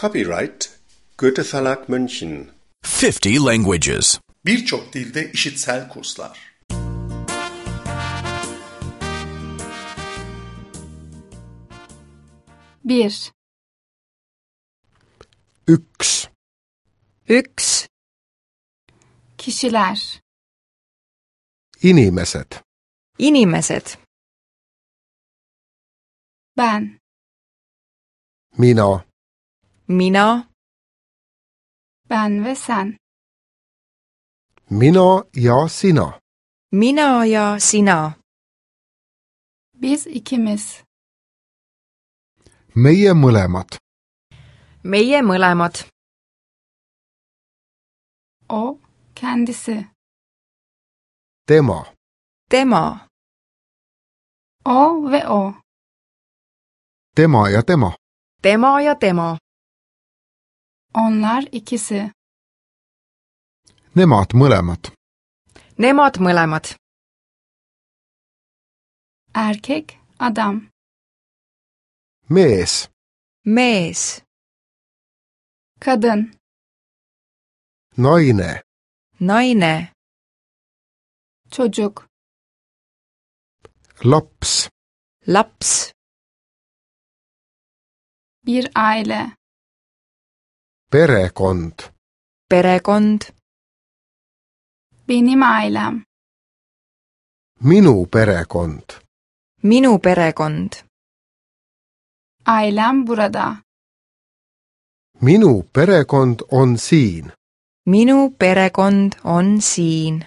Copyright Goethe Verlag München. 50 languages. Birçok dilde işitsel kurslar. Bir. Yks, Yks, Kişiler. inimeset, inimesed, Ben. mina, mina, Ben ve sen. mina ja sina, mina ja sina, Biz ikimiz. meie mõlemad, meie mõlemad, O, kendisi. tema, tema, O ve o. tema ja tema, tema ja tema, Onlar ikisi. nemad mõlemad, nemad mõlemad, Erkek, adam. mees, mees, Kadın, naine, naine, çocuk. laps, laps, Bir aile. perekond, perekond, Benim ailem. minu perekond, minu perekond, Ailem burada. minu perekond on siin, minu perekond on siin,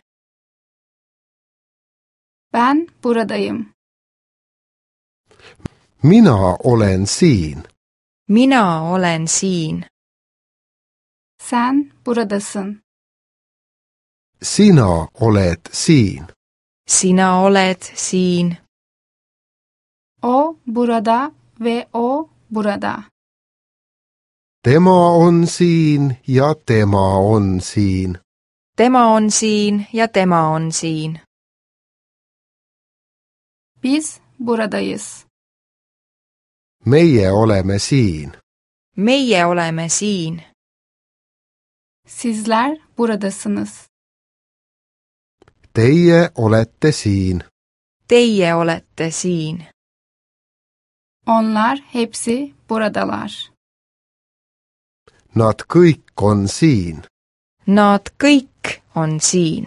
Ben buradayım. mina olen siin, mina olen siin, Sen buradasın. sina oled siin, sina oled siin, O burada ve o burada. tema on siin ja tema on siin, tema on siin ja tema on siin, Biz buradayız. meie oleme siin, meie oleme siin, Sizler buradasınız. teie olete siin, teie olete siin, Onlar hepsi buradalar. nad kõik on siin. nad kõik on siin.